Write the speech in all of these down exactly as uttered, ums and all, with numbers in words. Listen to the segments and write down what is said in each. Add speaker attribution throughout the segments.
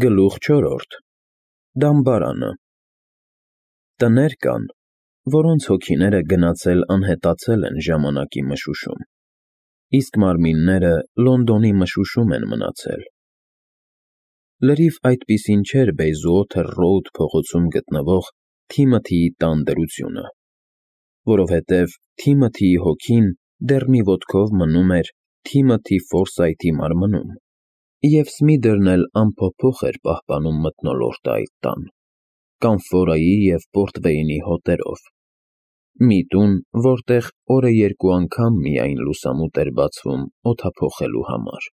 Speaker 1: Գլուխ չորրորդ Դամբարանը Տներ կան, որոնց հոգիները գնացել անհետացել են ժամանակի մշուշում, իսկ մարմինները Լոնդոնի մշուշում են մնացել։ Լրիվ այդպիսին չէր Բեյզուոթեր Ռոուդ փողոցում գտնվող Թիմոթիի տան դրությունը, որովհետև Թիմոթիի հոգին դեռ մի ոտքով մնում էր Թիմոթի Ֆորսայթի մարմնում, և Սմիդրն էլ անփոփոխ էր պահպանում մթնոլորտը այդ տան, կամֆորայի և պորտվեյնի հոտերով, մի տուն, որտեղ օրը երկու անգամ միայն լուսամուտ էր բացվում օդափոխելու համար։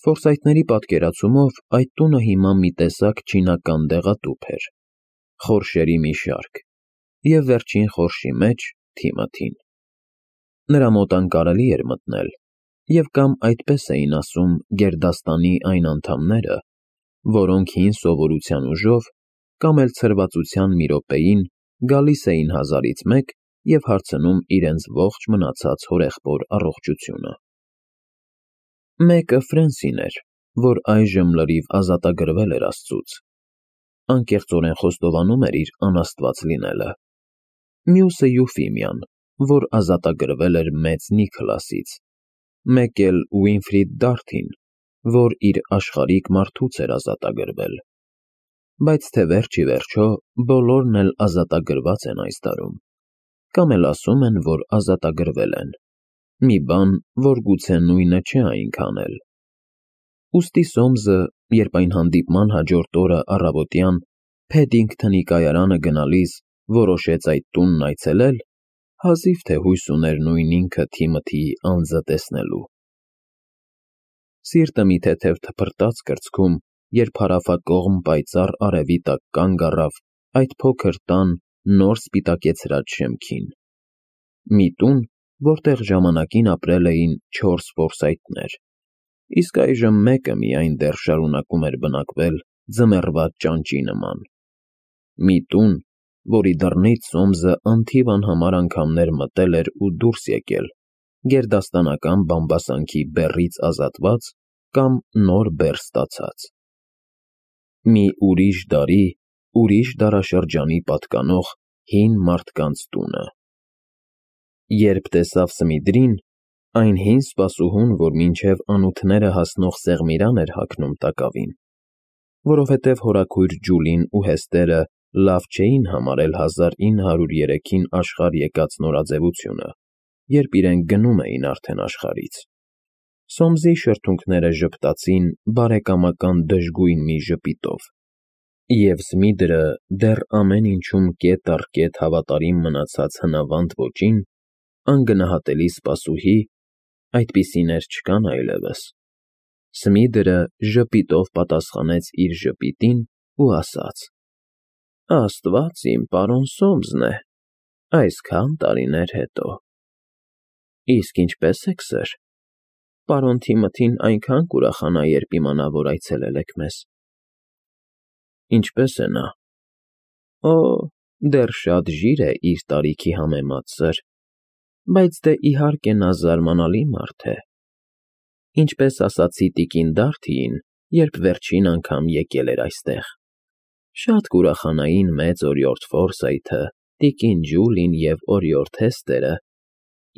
Speaker 1: Ֆորսայթների պատկերացումով այդ տունը հիմա մի տեսակ չինական դեղատուփ էր, խորշերի մի շարք, և վերջին խորշի մեջ Թիմոթին։ Նրա մոտ անկարելի էր մտնել, և կամ այդպես էին ասում գերդաստանի այն անդամները, որոնք հին սովորության ուժով, կամ էլ ցրվածության մի րոպեին գալիս էին հազարից մեկ և հարցնում իրենց ողջ մնացած հորեղբոր առողջությունը։ Մեկը Ֆրենսին էր, որ այժմ լրիվ ազատագրվել էր Աստծուց, անկեղծորեն խոստովանում էր իր անաստված լինելը, մյուսը Յուֆիմիան, որ ազատագրվել էր մեծ Նիքլասից, մեկ էլ Ուինֆրիդ Դարթին, որ իր աշխարհիկ մարդուց էր ազատագրվել, բայց թե վերջ ի վերջո բոլորն էլ ազատագրված են այս տարում, կամ էլ ասում են, որ ազատագրվել են, մի բան, որ գուցե նույնը չէ այնքան էլ։ Ուստի Սոմսը, երբ այն հանդիպման հաջորդ օրը առավոտյան Փեդինգթոնի կայարանը գնալիս որոշեց այդ տունն այցելել, հազիվ թե հույս ուներ նույն ինքը Թիմոթիի անձը տեսնելու։ Սիրտը մի թեթև թփրտաց կրծքում, երբ հարավակողմ պայծառ արևի տակ կանգ առավ այդ փոքր տան նոր սպիտակեցրած շեմքին, մի տուն, որտեղ ժամանակին ապրել էին չորս Ֆորսայթներ, իսկ այժմ մեկը միայն դեռ շարունակում էր բնակվել ձմեռվա ճանճի նման, մի տուն, որի դռնից Սոմսը անթիվ անհամար անգամներ մտել էր ու դուրս եկել, գերդաստանական բամբասանքի բեռից ազատված կամ նոր բեռ ստացած։ Մի ուրիշ դարի, ուրիշ դարաշրջանի պատկանող հին մարդկանց տունը։ Երբ տեսավ Սմիդրին, այն հին սպասուհուն, որ մինչև անութները հասնող սեղմիրան էր հագնում տակավին, որովհետև հորաքույր Ջուլին ու Հեստերը լավ չէին համարել հազար ինը հարյուր երեքին աշխարհ եկած նորաձևությունը, երբ իրենք գնում էին արդեն աշխարհից, Սոմսի շրթունքները ժպտացին բարեկամական դժգույն մի ժպիտով, և Սմիդրը դեռ ամեն ինչում կետ առ կետ հավատարիմ մնացած հնավանդ ոճին, անգնահատելի սպասուհի, այդպիսիներ չկան այլևս, Սմիդրը ժպիտով պատասխանեց իր ժպիտին ու ասաց. Աստված իմ պարոն Սոմսն է, այսքան տարիներ հետո։ Իսկ ինչպե՞ս եք, սըր, պարոն Թիմոթին այնքան կուրախանա, երբ իմանա, որ այցելել եք մեզ։ Ինչպե՞ս է նա։ Օ, դեռ շատ ժիր է իր տարիքի համեմատ, սըր, բայց դե իհարկե նա զարմանալի մարդ է։ Ինչպես ասացի տիկին Դարթիին, երբ վերջին անգամ եկել էր այստեղ, շատ կուրախանային մեծ օրիորդ Ֆորսայթը, տիկին Ջուլին և օրիորդ Հեստերը,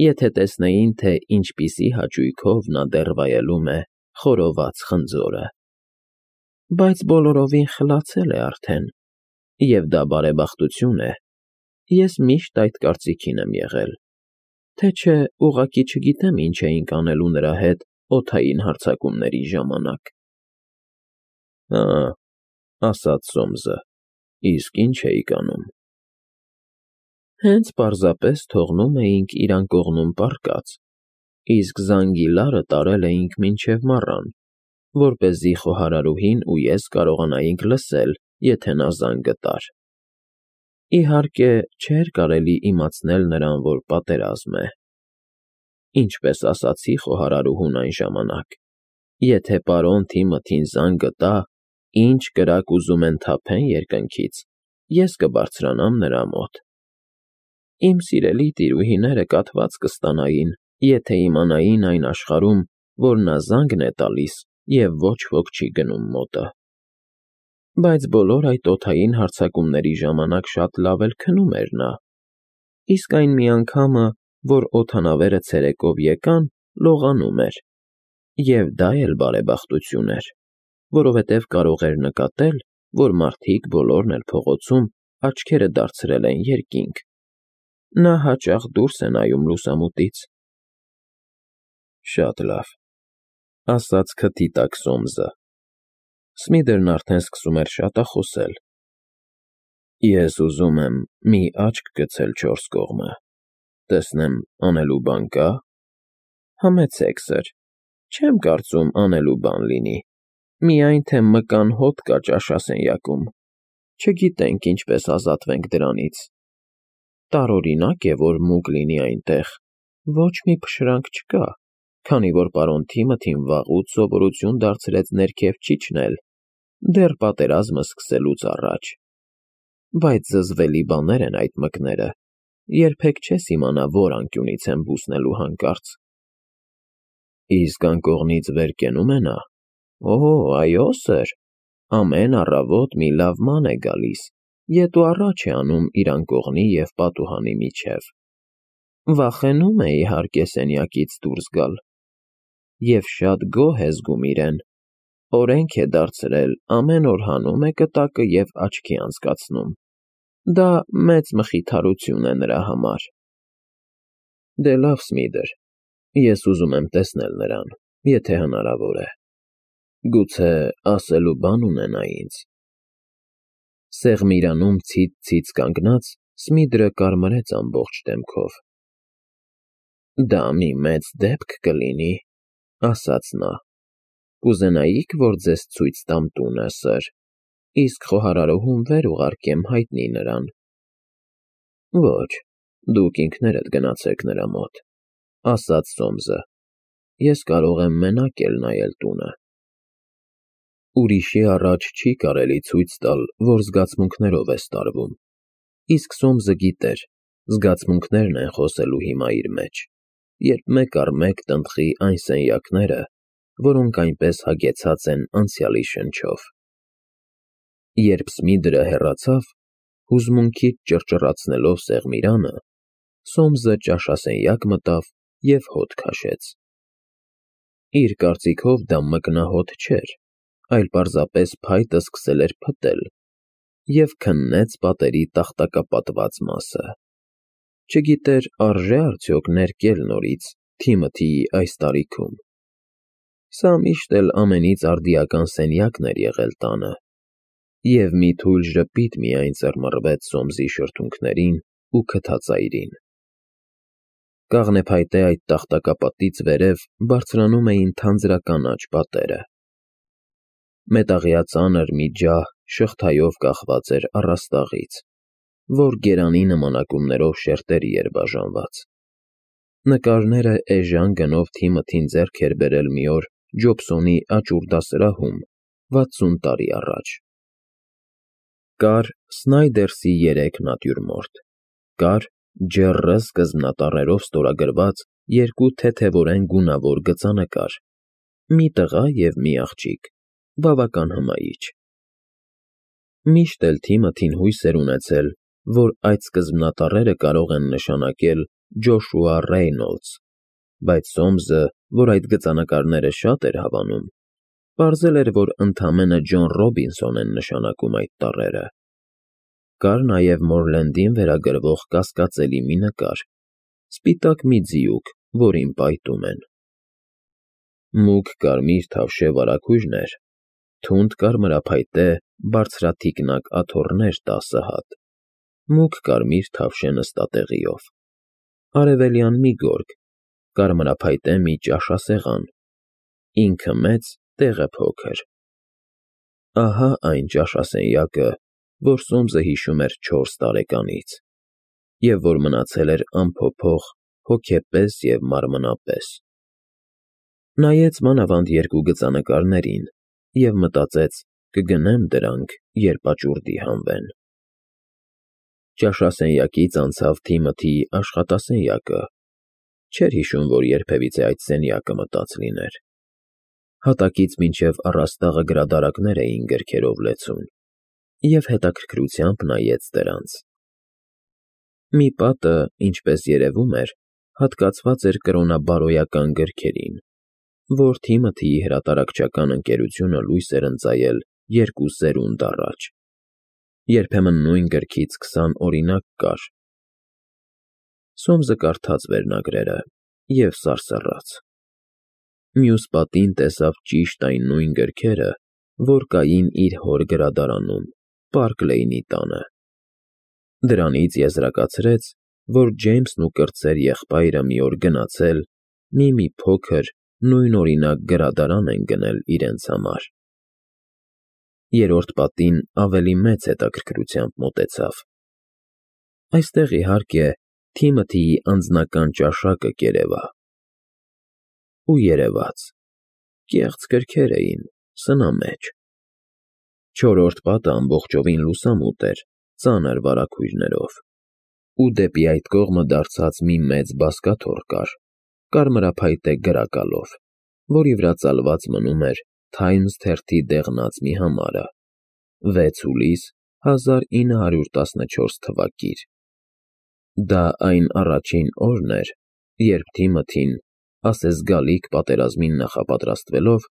Speaker 1: եթե տեսնեին, թե ինչպիսի հաճույքով նա դեռ վայելում է խորոված խնձորը։ Բայց բոլորովին խլացել է արդեն, և դա բարեբախտություն է, ես միշտ այդ կարծիքին եմ եղել, թե չէ ուղղակի չգիտեմ ինչ էինք անելու նրա հետ օդային հարձակումների ժամանակ։ Հա, ասաց Սոմսը, իսկ ինչ էիք անում։ Հենց պարզապես թողնում էինք իր անկողնում պառկած, իսկ զանգիլարը տարել էինք մինչև մառան, որպեսզի խոհարարուհին ու ես կարողանայինք լսել, եթե նա զանգը տար։ Իհարկե, չէր կարելի իմացնել նրան, որ պատերազմ է։ Ինչպես ասացի խոհարարուհուն այն ժամանակ, եթե պարոն Թիմոթին զանգը տա, ինչ կրակ ուզում են թափեն երկնքից, ես կբարձրանամ նրա մոտ։ Իմ սիրելի տիրուհիները կաթված կստանային, եթե իմանային այն աշխարհում, որ նա զանգն է տալիս և ոչ ոք չի գնում մոտը։ Բայց բոլոր այդ օդային հարձակումների ժամանակ շատ լավ էլ քնում էր նա, իսկ այն մի անգամը, որ օդանավերը ցերեկով եկան, լողանում էր, և դա էլ բարեբախտություն էր, որովհետև կարող էր նկատել, որ մարդիկ բոլորն էլ փողոցում աչքերը դարձրել են երկինք. նա հաճախ դուրս է նայում լուսամուտից։ Շատ լավ, ասաց քթի տակ Սոմսը։ Սմիթերն արդեն սկսում էր շատախոսել. Ես ուզում եմ մի աչք գցել չորս կողմը, տեսնեմ անելու բան կա՞։ Համեցեք, սըր, չեմ կարծում անելու բան լինի, միայն թե մկան հոտ կա ճաշասենյակում, չգիտենք ինչպես ազատվենք դրանից։ Տարօրինակ է, որ մուկ լինի այնտեղ, ոչ մի փշրանք չկա, քանի որ պարոն Թիմոթին վաղուց սովորություն դարձրեց ներքև չիջնել, դեռ պատերազմը սկսելուց առաջ։ Բայց զզվելի բաներ են այդ մկները, երբեք չես իմանա, որ անկյունից են բուսնելու հանկարծ։ Իսկ անկողնից վեր կենում է նա։ Օ, այո, սըր, ամեն առավոտ մի լավ ման է գալիս, ետ ու առաջ է անում իր անկողնի և պատուհանի միջև։ Վախենում է, իհարկե, սենյակից դուրս գալ։ Եվ շատ գոհ է զգում իրեն, օրենք է դարձրել, ամեն օր հանում է կտակը և աչքի անցկացնում։ Դա մեծ մխիթարություն է նրա համար։ Դե լավ, Սմիթեր, ես ուզում եմ տեսնել նրան, եթե հնարավոր է։ Գուցե ասելու բան ունենա ինձ։ Սեղմիրանում ցից-ցից կանգնած, Սմիթրը կարմրեց ամբողջ դեմքով։ Դա մի մեծ դեպք կլինի, ասաց նա։ Կուզենայիք, որ ձեզ ցույց տամ տունը, սըր, իսկ խոհարարուհուն վեր ուղարկեմ հայտնի նրան։ Ոչ, դուք ինքներդ գնացեք նրա մոտ, ասաց Սոմսը, ես կարող եմ մենակ էլ նայել տունը։ Ուրիշի առաջ չի կարելի ցույց տալ, որ զգացմունքներով ես տարվում, իսկ Սոմսը գիտեր, զգացմունքներն են խոսելու հիմա իր մեջ, երբ մեկ առ մեկ տնտղի այն սենյակները, որոնք այնպես հագեցած են անցյալի շնչով։ Երբ Սմիթրը հեռացավ, հուզմունքից ճռճռացնելով սեղմիրանը, Սոմսը ճաշասենյակ մտավ և հոտ քաշեց։ Իր կարծիքով դա մկնահոտ չէր, այլ պարզապես փայտը սկսել էր փտել, և քննեց պատերի տախտակապատված մասը։ Չգիտեր արժե՞ արդյոք ներկել նորից Թիմոթիի այս տարիքում։ Սա միշտ էլ ամենից արդիական սենյակն էր եղել տանը, և մի թույլ ժպիտ միայն ծռմռվեց Սոմսի շրթունքներին ու քթածայրին։ Կաղնեփայտե այդ տախտակապատից վերև բարձրանում էին թանձրականաչ պատերը։ Մետաղյա ծանր մի ջահ շղթայով կախված էր առաստաղից, որ գերանի նմանակումներով շերտերի էր բաժանված։ Նկարները էժան գնով Թիմոթին ձեռք էր բերել մի օր Ջոբսոնի աճուր դասարանում վաթսուն տարի առաջ։ Կար Սնայդերսի երեք նատյուրմորտ, կար Ջեռը սկզբնատառերով ստորագրված երկու թեթևորեն գունավոր գծանկար, մի տղա և մի աղջիկ, բավական հմայիչ։ Միշտ էլ Թիմոթին հույս էր ունեցել, որ այդ սկզբնատառերը կարող են նշանակել Ջոշուա Ռեյնոլդս, բայց Սոմսը, որ այդ գծանկարները շատ էր հավանում, պարզել էր, որ ընդամենը Ջոն Ռոբինսոն են նշանակում այդ տառերը։ Կար նաև Մորլենդին վերագրվող կասկածելի մի նկար, սպիտակ մի ձիուկ, որին պայտում են։ Մուգ կարմիր թավշե վարագույրներ, թունդ կարմրափայտե բարձրաթիկնակ աթոռներ տասը հատ, մուգ կարմիր թավշե նստատեղիով, արևելյան մի գորգ, կարմրափայտե մի ճաշասեղան, ինքը մեծ, տեղը փոքր։ Ահա այն ճաշասենյակը, որ Սոմսը հիշում էր չորս տարեկանից, և որ մնացել էր անփոփոխ հոգեպես և մարմնապես։ Նայեց մանավանդ երկու գծանկարներին և մտածեց կգնեմ դրանք, երբ աճուրդի հանվեն։ Ճաշասենյակից անցավ Թիմոթիի աշխատասենյակը, չէր հիշում, որ երբևիցե այդ սենյակը մտած լիներ։ Հատակից մինչև առաստաղը գրադարակներ էին գրքերով լեցուն, և հետաքրքրությամբ նայեց դրանց։ Մի պատը, ինչպես երևում էր, հատկացված էր կրոնաբարոյական գրքերին, որ Թիմոթիի հրատարակչական ընկերությունը լույս էր ընծայել երկու սերունդ առաջ։ Երբեմն նույն գրքից քսան օրինակ կար։ Սոմսը կարդաց վերնագրերը և սարսռաց։ Մյուս պատին տեսավ ճիշտ այն նույն գրքերը, որ կային իր հոր գրադարանում, Պարկ Լեյնի տանը։ Դրանից եզրակացրեց, որ Ջեյմսն ու կրտսեր եղբայրը մի օր գնացել, մի-մի փոքր, նույնօրինակ գրադարան են գնել իրենց համար։ Երրորդ պատին ավելի մեծ հետաքրքրությամբ մոտեցավ։ Այստեղ, իհարկե, Թիմոթիի անձնական ճաշակը կերևա։ Ու երևաց. կեղծ գրքեր էին, սնամեջ։ Չորրորդ պատը ամբողջովին լուսամուտ էր, ծանր վարագույրներով, ու դեպի այդ կողմը դարձած մի մեծ բազկաթոռ կար, կարմրափայտե գրակալով, որի վրա ծալված մնում էր Թայմս թերթի դեղնած մի համարը՝ վեց հուլիս հազար ինը հարյուր տասնչորս թվակիր։ Դա այն առաջին օրն էր, երբ Թիմոթին, ասես գալիք պատերազմին նախապատրաստվելով,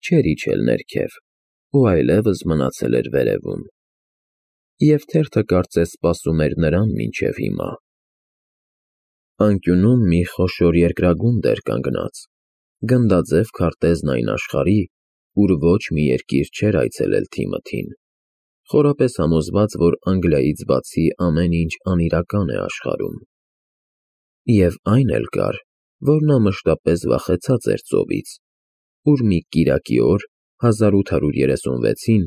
Speaker 1: չէր իջել ներքև ու այլևս մնացել էր վերևում, և թերթը կարծես սպասում էր նրան մինչև հիմա։ Անկյունում մի խոշոր երկրագունդ էր կանգնած, գնդաձև քարտեզն այն աշխարհի, ուր ոչ մի երկիր չէր այցելել Թիմոթին, խորապես համոզված, որ Անգլիայից բացի ամեն ինչ անիրական է աշխարհում։ Եվ այն էլ կար, որ նա մշտապես վախեցած էր ծովից, ուր մի կիրակի օր հազար ութ հարյուր երեսունվեցին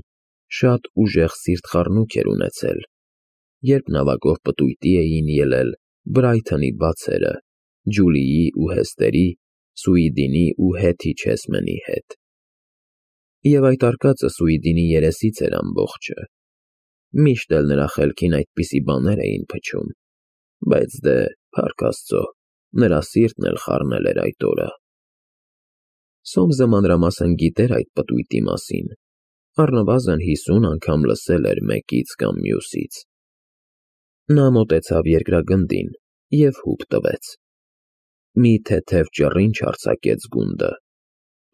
Speaker 1: շատ ուժեղ սիրտխառնուրդ էր ունեցել, երբ նավակով պտույտի էին ելել Բրայթոնի բացերը Ջուլիի ու Հեսթերի, Սուիդինի ու Հեթի Չեսմենի հետ։ Եվ այդ արկածը Սուիդինի երեսից էր ամբողջը։ Միշտ էլ նրա խելքին այդպիսի բաներ էին փչում, բայց դե, փառք Աստծո, նրա սիրտն էլ խառնել էր այդ օրը։ Սոմսը մանրամասն գիտեր այդ պտույտի մասին, առնվազն հիսուն անգամ լսել էր մեկից կամ մյուսից։ Նա մոտեցավ երկրագնդին և հուպ տվեց։ Մի թեթև ճռինչ արձակեց գունդը,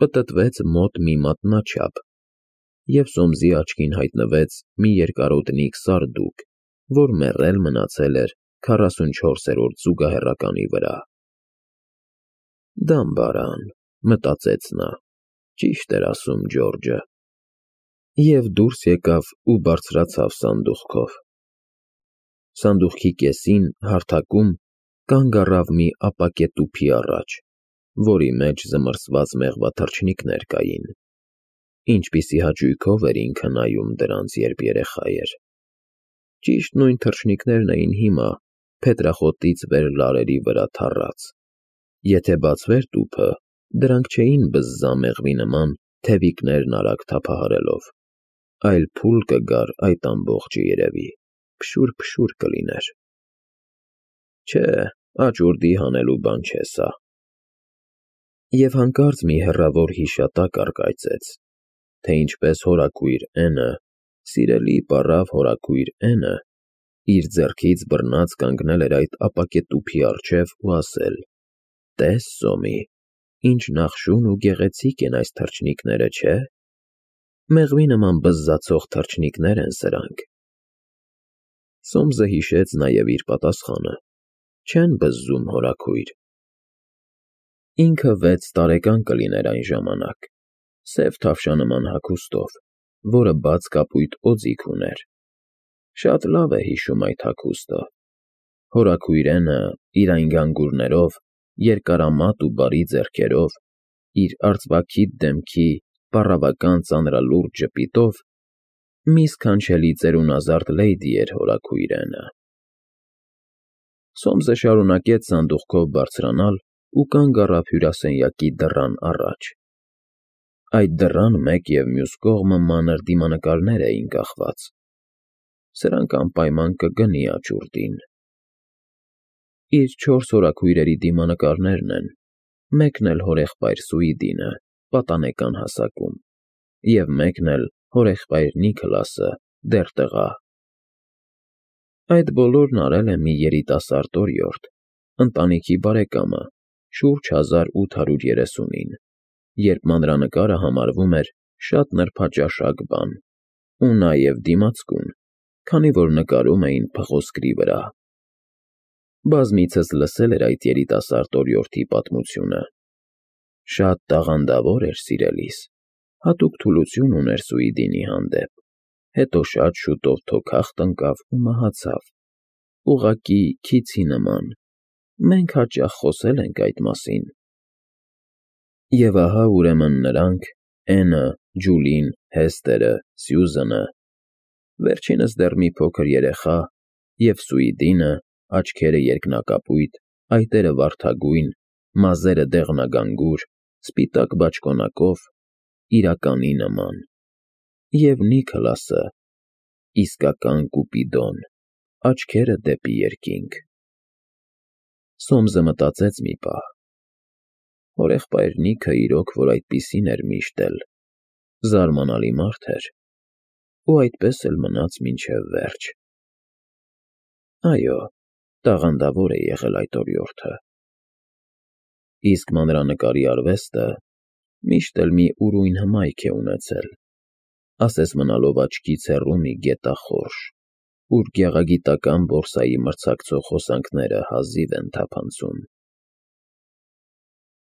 Speaker 1: պտտվեց մոտ մի մատնաչափ, և Սոմսի աչքին հայտնվեց մի երկարոտնիկ սարդուկ, որ մեռել մնացել էր քառասունչորսերորդ զուգահեռականի վրա։ «Դամբարան», մտածեց նա, ճիշտ էր ասում Ջորջը։ Եվ դուրս եկավ ու բարձրացավ սանդուղքով։ Սանդուղքի կեսին, հարթակում, կանգ առավ մի ապակե տուփի առաջ, որի մեջ զմռսված մեղվաթռչնիկներ կային։ Ինչպիսի հաճույքով էր ինքը նայում դրանց, երբ երեխա էր։ Ճիշտ նույն թռչնիկներն էին հիմա փետրախոտից վեր լարերի վրա թառած։ Եթե բացվեր տուփը, դրանք չէին բզզա մեղվի նման թևիկներն արագ թափահարելով, այլ փուլ կգար այդ ամբողջը երևի, փշուր֊փշուր կլիներ։ Չէ, աճուրդի հանելու բան չէ սա։ Եվ հանկարծ մի հեռավոր հիշատակ առկայծեց, թե ինչպես հորաքույր Էնը, սիրելի պառավ հորաքույր Էնը, իր ձեռքից բռնած կանգնել էր այդ ապակե տուփի առջև ու ասել. «Տես, Սոմի, ինչ նախշուն ու գեղեցիկ են այս թռչնիկները, չէ՞։ Մեղվի նման բզզացող թռչնիկներ են սրանք»։ Սոմսը հիշեց նաև իր պատասխանը. «Չեն բզզում, հորաքույր»։ Ինքը վեց տարեկան կլիներ այն ժամանակ, սև թավշանման հագուստով, որը բաց կապույտ օձիք ուներ։ Շատ լավ է հիշում այդ հագուստը։ Հորաքույր Էնը իր այն գանգուրներով, երկարամատ ու բարի ձեռքերով, իր արծվաքիթ դեմքի, պառավական ծանրալուրջ ժպիտով մի սքանչելի ծերունազարդ լեյդի էր հորաքույր Էնը։ Սոմսը շարունակեց սանդուղքով բարձրանալ ու կանգ առավ հյուրասենյակի դռան առաջ։ Այդ դռան մեկ և մյուս կողմը մանր դիմանկարներ էին կախված։ Սրանք անպայման կգնի աճուրդին։ Իր չորս հորաքույրերի դիմանկարներն են, մեկն էլ հորեղբայր Սուիդինը, պատանեկան հասակում, և մեկն էլ հորեղբայր Նիքլասը դեռ տղա։ Այդ բոլորն արել է մի երիտասարդ օրիորդ, ընտանիքի բարեկամը, շուրջ հազար ութ հարյուր երեսունին, երբ մանրանկարը համարվում էր շատ նրբաճաշակ բան, ու նաև դիմացկուն, քանի որ նկարում էին փղոսկրի վրա։ Բազմիցս լսել էր այդ երիտասարդ օրիորդի պատմությունը։ Շատ տաղանդավոր էր, սիրելիս, հատուկ թուլություն ուներ Սուիդինի հանդեպ, հետո շատ շուտով թոքախտ ընկավ ու մահացավ, ուղղակի քիցի նման, մենք հաճախ խոսել ենք այդ մասին։ Եվ ահա ուրեմն նրանք՝ Էնը, Ջուլին, Հեսթերը, Սյուզանը, վերջինս դեռ մի փոքր երեխա, և Սուիդինը, աչքերը երկնակապույտ, այտերը վարդագույն, մազերը դեղնագանգուր, սպիտակ բաճկոնակով, իրականի նման, և Նիքլասը, իսկական Կուպիդոն, աչքերը դեպի երկինք։ Սոմսը մտածեց մի պահ. հորեղբայր Նիքը իրոք որ այդպիսին էր միշտ էլ, զարմանալի մարդ էր, ու այդպես էլ մնաց մինչև վերջ։ Այո, տաղանդավոր է եղել այդ օրիորդը։ Իսկ մանրանկարի արվեստը միշտ էլ մի ուրույն հմայք է ունեցել, ասես մնալով աչքից հեռու մի գետախորշ, ուր գեղագիտական բորսայի մրցակցող հոսանքները հազիվ են թափանցում։